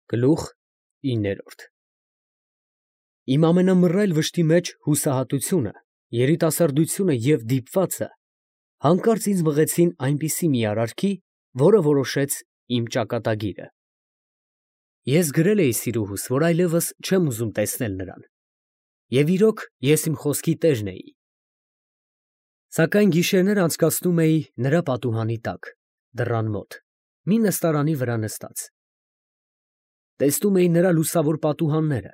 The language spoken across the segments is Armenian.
Գլուխ 9 Իմ ամենամռայլ վշտի մեջ հուսահատությունը, երիտասարդությունը և դիպվածը հանկարծ ինձ մղեցին այնպիսի մի արարքի, որը որոշեց իմ ճակատագիրը։ Ես գրել էի սիրուհուս, որ այլևս չեմ ուզում տեսնել նրան, և իրոք ես իմ խոսքի տերն էի։ Սակայն գիշերներ անցկացնում էի նրա պատուհանի տակ, դռան մոտ, մի նստարանի վրա նստած։ Տեսնում էի նրա լուսավոր պատուհանները,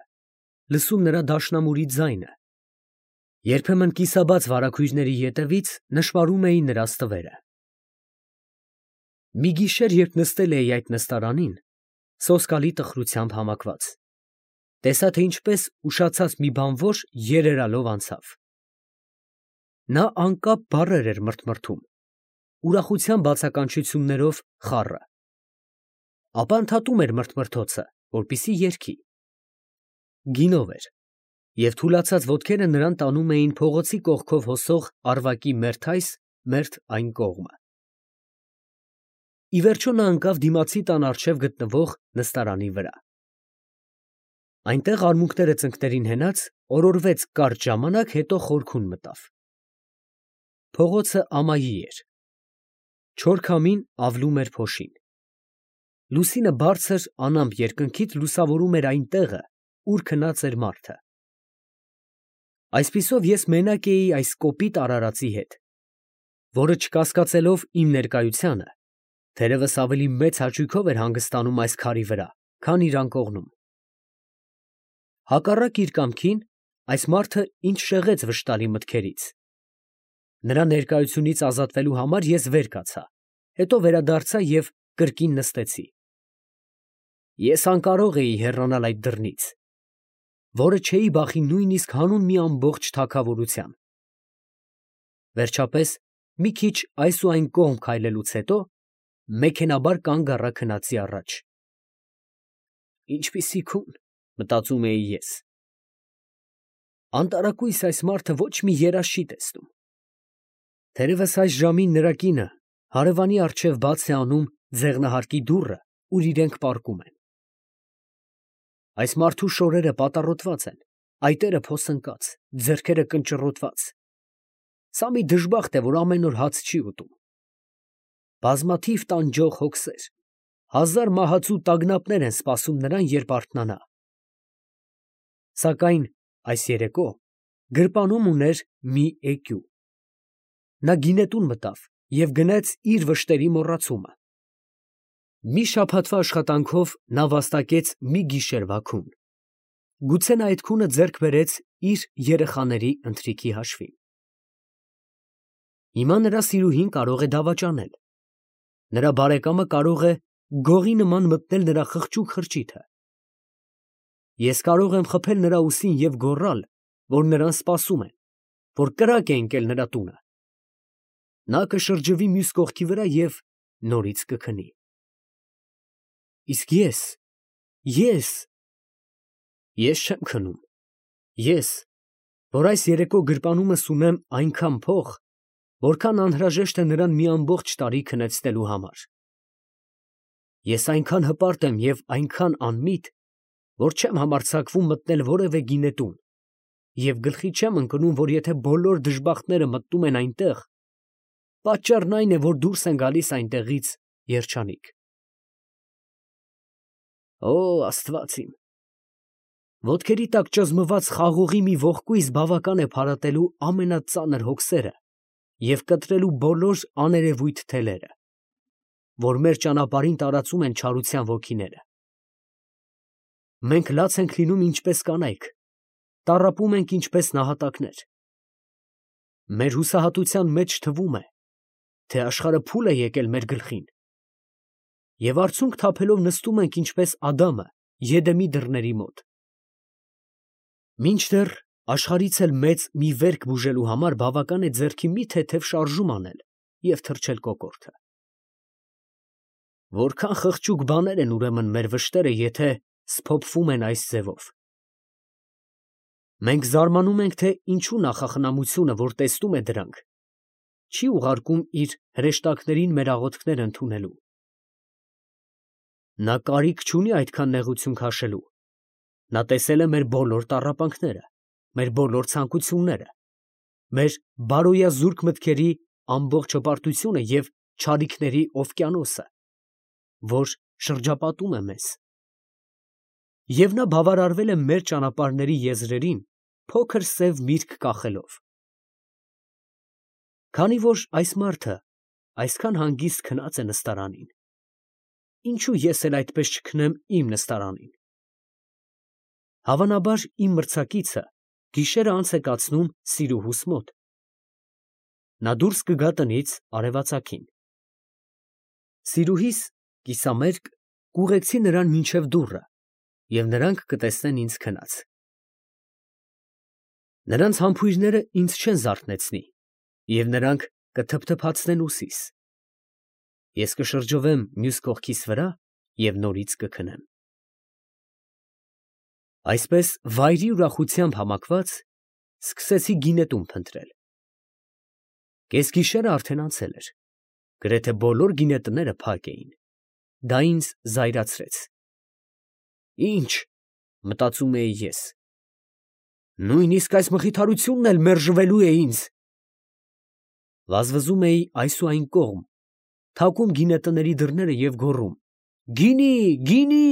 լսում նրա դաշնամուրի ձայնը, երբեմն կիսաբաց վարագույրների ետևից նշմարում էի նրա ստվերը։ Մի գիշեր, երբ նստել էի այդ նստարանին, սոսկալի տխրությամբ համակված, տեսա, թե ինչպես ուշացած մի բանվոր երերալով անցավ։ Նա անկապ բառեր էր մրթմրթում, ուրախության բացականչություններով խառը, ապա ընդհատում էր մրթմրթոցը, որպեսզի երգի։ Գինով էր, և թուլացած ոտքերը նրան տանում էին փողոցի կողքով հոսող Արվակի մերթ այս, մերթ այն կողմը։ Ի վերջո նա ընկավ դիմացի տան առջև գտնվող նստարանի վրա։ Այնտեղ արմունկները ծնկներին հենած, օրորվեց կարճ ժամանակ, հետո խորքուն մտավ։ Փողոցը ամայի էր։ Չոր քամին ավլում էր փոշին։ Լուսինը բարձր անամպ երկնքից լուսավորում էր այն տեղը, ուր քնած էր մարդը։ Այսպիսով ես մենակ էի այս կոպիտ արարածի հետ, որը չկասկածելով իմ ներկայությանը, թերևս ավելի մեծ հաճույքով էր հանգստանում այս քարի վրա, քան իր անկողնում։ Հակառակ իր կամքին, այս մարդը ինձ շեղեց վշտալի մտքերից։ Նրա ներկայությունից ազատվելու համար ես վեր կացա, հետո վերադարձա և կրկին նստեցի։ Ես անկարող էի հեռանալ այդ դռնից, որը չէի բախի նույնիսկ հանուն մի ամբողջ թագավորության։ Վերջապես, մի քիչ այս ու այն կողմ քայլելուց հետո, մեքենաբար կանգ առա քնածի առաջ։ Ինչպիսի քուն, մտածում էի ես։ Անտարակույս այս մարդը ոչ մի երազ չի տեսնում։ Թերևս այս ժամին նրա կինը հարևանի առջև բաց է անում ձեղնահարկի դուռը, ուր իրենք պառկում են։ Այս մարդու շորերը պատառոտված են, այտերը փոսընկած, ձեռքերը կնճռոտված։ Սա մի դժբախտ է, որ ամեն օր հաց չի ուտում։ Բազմաթիվ տանջող հոգսեր, հազար մահացու տագնապներ են սպասում նրան, երբ արթնանա։ Սակայն այս երեկո գրպանում ուներ մի էկյու։ Նա գինետուն մտավ և գնեց իր վշտերի մոռացումը։ Մի շաբաթվա աշխատանքով նա վաստակեց մի գիշերվա քուն։ Գուցե նա այդ քունը ձեռք բերեց իր երեխաների ընթրիքի հաշվին։ Հիմա նրա սիրուհին կարող է դավաճանել։ Նրա բարեկամը կարող է գողի նման մտնել նրա խղճուկ խրճիթը։ Ես կարող եմ խփել նրա ուսին և գոռալ, որ նրան սպասում են, որ կրակ է ընկել նրա տունը։ Նա կշրջվի մյուս կողքի վրա և նորից կքնի։ Իսկ ես չեմ քնում։ Ես, որ այս երեկո գրպանումս ունեմ այնքան փող, որքան անհրաժեշտ է նրան մի ամբողջ տարի քնեցնելու համար։ Ես այնքան հպարտ եմ և այնքան անմիտ, որ չեմ համարձակվում մտնել որևէ գինետուն և գլխի չեմ ընկնում, որ եթե բոլոր դժբախտները մտնում են այնտեղ, պատճառն այն է, որ դուրս են գալիս այնտեղից երջանիկ։ Օ, Աստված իմ, ոտքերի տակ ճզմված խաղողի մի ողկույզ բավական է փարատելու ամենածանր հոգսերը և կտրելու բոլոր աներևույթ թելերը, որ մեր ճանապարհին տարածում են չարության ոգիները։ Մենք լաց ենք լինում ինչպես կանայք, տառապում ենք ինչպես նահատակներ։ Մեր հուսահատության մեջ թվում է, թե աշխարհը փուլ է եկել մեր գլխին, և արցունք թափելով նստում ենք ինչպես Ադամը Եդեմի դռների մոտ։ Մինչդեռ աշխարհից էլ մեծ մի վերք բուժելու համար բավական է ձեռքի մի թեթև շարժում անել և թրջել կոկորդը։ Որքան խղճուկ բաներ են ուրեմն մեր վշտերը, եթե սփոփվում են այս ձևով։ Մենք զարմանում ենք, թե ինչու նախախնամությունը, որ տեսնում է դրանք, չի ուղարկում իր հրեշտակներին մեր աղոթքները ընդունելու։ Նա կարիք չունի այդքան նեղություն քաշելու։ Նա տեսել է մեր բոլոր տառապանքները, մեր բոլոր ցանկությունները, մեր բարոյազուրկ մտքերի ամբողջ հպարտությունը և չարիքների օվկիանոսը, որ շրջապատում է մեզ։ Եվ նա բավարարվել է մեր ճանապարհների եզրերին փոքր սև միրգ կախելով։ Քանի որ այս մարդը այսքան հանգիստ քնած է նստարանին, ինչո՞ւ ես էլ այդպես չքնեմ իմ նստարանին։ Հավանաբար իմ մրցակիցը գիշերը անց է կացնում Սիրուհուս մոտ։ Նա դուրս կգա տնից արևածագին։ Սիրուհիս կիսամերկ կուղեկցի նրան մինչև դուռը, և նրանք կտեսնեն ինձ քնած։ Նրանց համբույրները ինձ չեն զարթնեցնի, և նրանք կթփթփացնեն ուսիս։ Ես կշրջովեմ մյուս կողքիս վրա և նորից կքնեմ։ Այսպես վայրի ուրախությամբ համակված սկսեցի գինետուն փնտրել։ Կեսգիշերը արդեն անցել էր, գրեթե բոլոր գինետները փակ էին։ Դա ինձ զայրացրեց։ Ի՞նչ, մտածում էի ես, նույնիսկ այս մխիթարությունն էլ մերժվելու է ինձ։ Վազվզում էի այս ու այն կողմ, թակում գինետների դռները և գոռում. «Գինի, գինի»։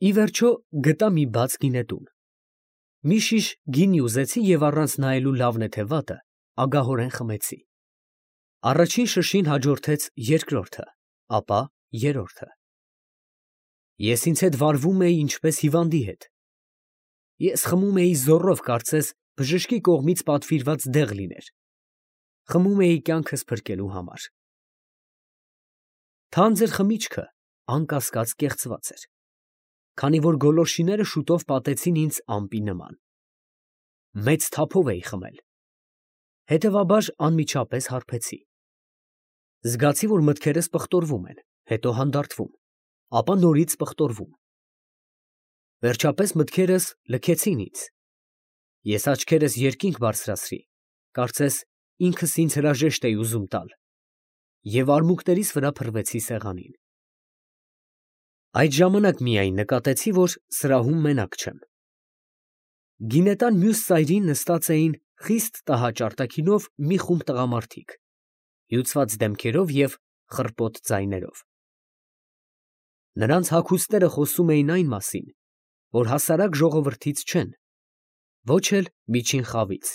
Ի վերջո գտա մի բաց գինետուն։ Մի շիշ գինի ուզեցի և առանց նայելու լավն է թե վատը, ագահորեն խմեցի։ Առաջին շշին հաջորդեց երկրորդը, ապա երրորդը։ Ես ինձ հետ վարվում էի ինչպես հիվանդի հետ։ Ես խմում էի զոռով, կարծես բժշկի կողմից պատվիրված դեղ լիներ։ Խմում էի կյանքս փրկելու համար։ Թանձր խմիչքը անկասկած կեղծված էր, քանի որ գոլորշիները շուտով պատեցին ինձ ամպի նման։ Մեծ թափով էի խմել։ Հետևաբար անմիջապես հարբեցի։ Զգացի, որ մտքերս պղտորվում են, հետո հանդարտվում, ապա նորից պղտորվում։ Վերջապես մտքերս լքեցին ինձ։ Ես աչքերս երկինք բարձրացրի, կարծես ինքս ինձ հրաժեշտ էի ուզում տալ, և արմունկներիս վրա փռվեցի սեղանին։ Այդ ժամանակ միայն նկատեցի, որ սրահում մենակ չեմ։ Գինետան մյուս ծայրին նստած էին խիստ տհաճ արտաքինով մի խումբ տղամարդիկ, հյուծված դեմքերով և խռպոտ ձայներով։ Նրանց հագուստները խոսում էին այն մասին, որ հասարակ ժողովրդից չեն, ոչ էլ միջին խավից։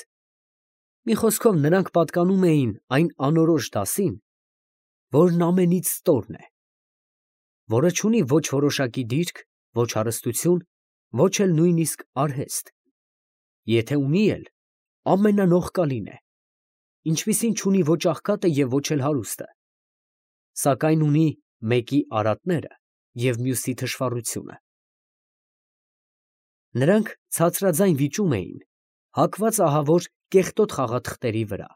Մի խոսքով, նրանք պատկանում էին այն անորոշ դասին, որն ամենից ստորն է, որը չունի ոչ որոշակի դիրք, ոչ հարստություն, ոչ էլ նույնիսկ արհեստ, եթե ունի էլ, ամենանողկալին է, ինչպիսին չունի ոչ աղքատը և ոչ էլ հարուստը, սակայն ունի մեկի արատները և մյուսի թշվառությունը։ Նրանք ցածրաձայն վիճում էին, հագված ահավոր կեղտոտ խաղաթղթերի վրա։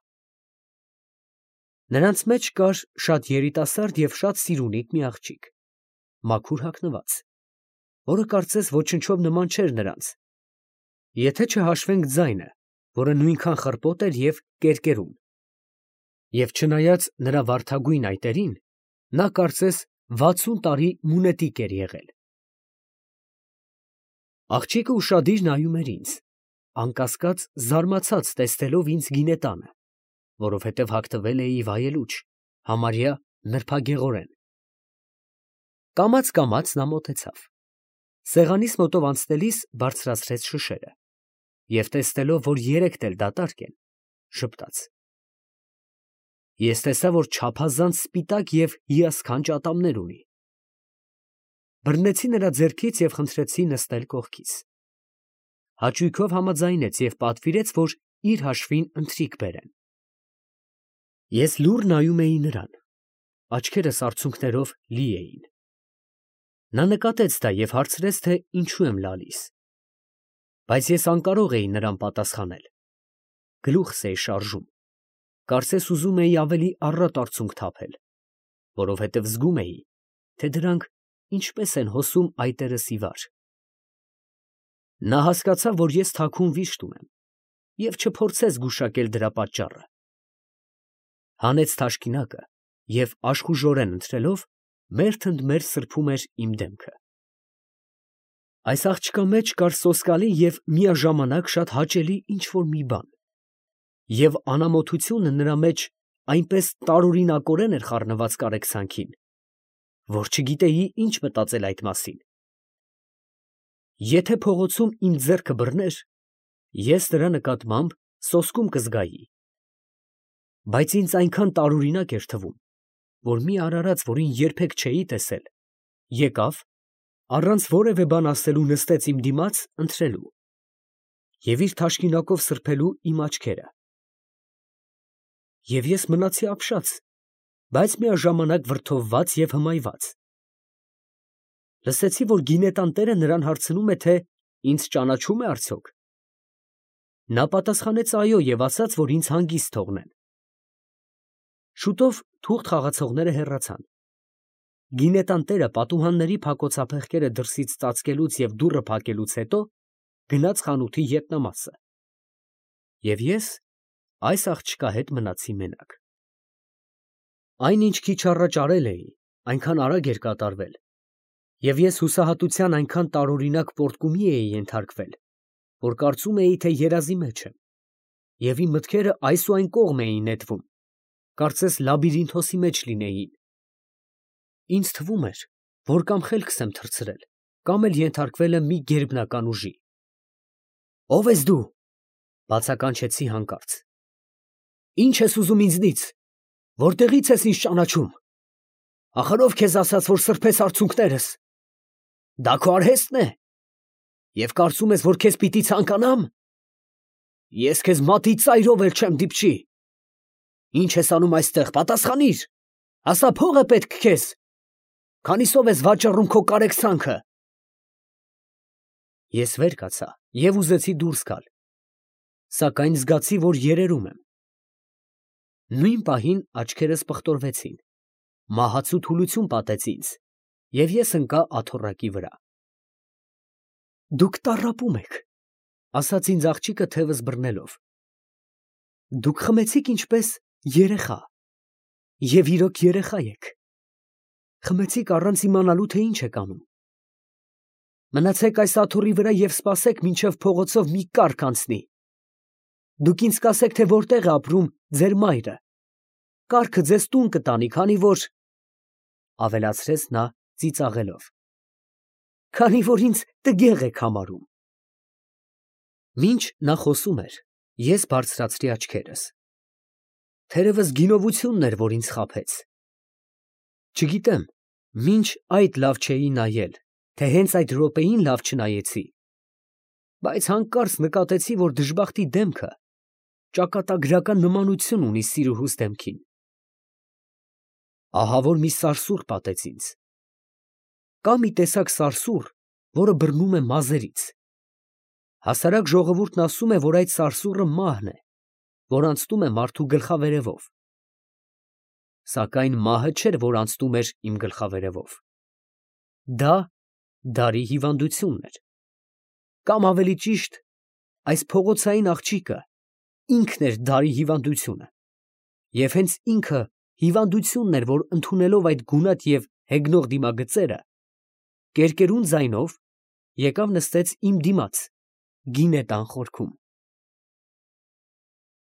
Նրանց մեջ կար շատ երիտասարդ և շատ սիրունիկ մի աղջիկ, մաքուր հագնված, որը կարծես ոչնչով նման չէր նրանց, եթե չհաշվենք ձայնը, որը նույնքան խռպոտ էր և կերկերում, և չնայած նրա վարդագույն այտերին, նա կարծես 60 տարի մունետիկ էր եղել։ Աղջիկը ուշադիր նայում էր ինձ, անկասկած զարմացած տեսնելով ինձ գինետանը, որովհետև հագտվել էի վայելուչ, համարյա նրբագեղորեն։ Կամաց նա մոտեցավ, սեղանիս մոտով անցնելիս բարձրացրեց շշերը և տեսնելով, որ երեքն էլ դատարկ են, ժպտաց։ Ես տեսա, որ չափազանց սպիտակ և հիասքանչ ատամներ ունի։ Բռնեցի նրա ձեռքից և խնդրեցի նստել կողքիս։ Հաճույքով համաձայնեց և պատվիրեց, որ իր հաշվին ընթրիք բերեն։ Ես լուռ նայում էի նրան, աչքերս արցունքներով լի էին։ Նա նկատեց դա և հարցրեց, թե ինչու եմ լալիս։ Բայց ես անկարող էի նրան պատասխանել։ Գլուխս էի շարժում, կարծես ուզում էի ավելի առատ արցունք թափել, որովհետև զգում էի, թե դրանք ինչպես են հոսում այտերս ի վար։ Նա հասկացավ, որ ես թաքուն վիշտ ունեմ և չփորձեց գուշակել դրա պատճառը։ Հանեց թաշկինակը և աշխուժորեն ընթրելով, մերթ ընդ մերթ սրբում էր իմ դեմքը։ Այս աղջկա մեջ կար սոսկալի և միաժամանակ շատ հաճելի ինչ֊որ մի բան, և անամոթությունը նրա մեջ այնպես տարօրինակորեն էր խառնված կարեկցանքին, որ չգիտեի ինչ մտածել այդ մասին։ Եթե փողոցում իմ ձեռքը բռներ, ես նրա նկատմամբ սոսկում կզգայի, բայց ինձ այնքան տարօրինակ էր թվում, որ մի արարած, որին երբեք չէի տեսել, եկավ, առանց որևէ բան ասելու նստեց իմ դիմաց ընթրելու և իր թաշկինակով սրբելու իմ աչքերը։ Եվ ես մնացի ապշած, բայց միաժամանակ վրդովված և հմայված։ Լսեցի, որ գինետան տերը նրան հարցնում է, թե ինձ ճանաչո՞ւմ է արդյոք։ Նա պատասխանեց այո և ասաց, որ ինձ հանգիստ թողնեն։ Շուտով թուղթ խաղացողները հեռացան։ Գինետան տերը պատուհանների փակոցափեղկերը դրսից ծածկելուց և դուռը փակելուց հետո գնաց խանութի ետնամասը, և ես այս աղջկա հետ մնացի մենակ։ Այն, ինչ քիչ առաջ արել էի, այնքան արագ էր կատարվել, և ես հուսահատության այնքան տարօրինակ պոռթկումի էի ենթարկվել, որ կարծում էի, թե երազի մեջ եմ, և իմ մտքերը այս ու այն կողմ էին նետվում, կարծես լաբիրինթոսի մեջ լինեին։ Ինձ թվում էր, որ կամ խելքս եմ թռցրել, կամ էլ ենթարկվել եմ մի գերբնական ուժի։ «Ո՞վ ես դու», ֊ բացականչեցի հանկարծ։ «Ի՞նչ ես ուզում ինձնից, որտեղի՞ց ես ինձ ճանաչում։ Ախար ո՞վ քեզ ասաց, որ սրբես արցունքներս։ Դա քո արհեստն է, և կարծում ես, որ քեզ պիտի ցանկանամ։ Ես քեզ մատի ծայրով էլ չեմ դիպչի։ Ի՞նչ ես անում այստեղ, պատասխանիր, ասա փո՞ղ է պետք քեզ, քանիսով ես վաճառում քո կարեկցանքը»։ Ես վեր կացա և ուզեցի դուրս գալ, սակայն զգացի, որ երերում եմ։ Նույն պահին աչքերս պղտորվեցին, մահացու թուլություն պատեց ինձ, և ես ընկա աթոռակի վրա։ «Դուք տառապում եք», ֊ ասաց ինձ աղջիկը թևս բռնելով։ «Դուք խմեցիք ինչպես երեխա, և իրոք երեխա եք։ Խմեցիք առանց իմանալու, թե ինչ եք անում։ Մնացեք այս աթոռի վրա և սպասեք, մինչև փողոցով մի կառք անցնի։ Դուք ինձ կասեք, թե որտեղ է ապրում ձեր մայրը։ Կառքը ձեզ տուն կտանի, քանի որ, ֊ ավելացրեց նա ծիծաղելով, ֊ ինձ տգեղ եք համարում»։ Մինչ նա խոսում էր, ես բարձրացրի աչքերս։ Թերևս գինովությունն էր, որ ինձ խաբեց։ Չգիտեմ, մինչ այդ լավ չէի նայել, թե հենց այդ րոպեին լավ չնայեցի, բայց հանկարծ նկատեցի, որ դժբախտի դեմքը ճակատագրական նմանություն ունի սիրուհուս դեմքին։ Ահա որ մի սարսուռ պատեց ինձ։ Կա մի տեսակ սարսուռ, որը բռնում է մազերից։ Հասարակ ժողովուրդն ասում է, որ այդ սարսուռը մահն է, որ անցնում է մարդու գլխավերևով։ Սակայն մահը չէր, որ անցնում էր իմ գլխավերևով։ Դա դարի հիվանդությունն էր, կամ ավելի ճիշտ, այս փողոցային աղջիկը ինքն էր դարի հիվանդությունը, և հենց ինքը հիվանդությունն էր, որ ընդունելով այդ գունատ և հեգնող դիմագծերը, կերկերուն ձայնով եկավ նստեց իմ դիմաց գինետան խորքում։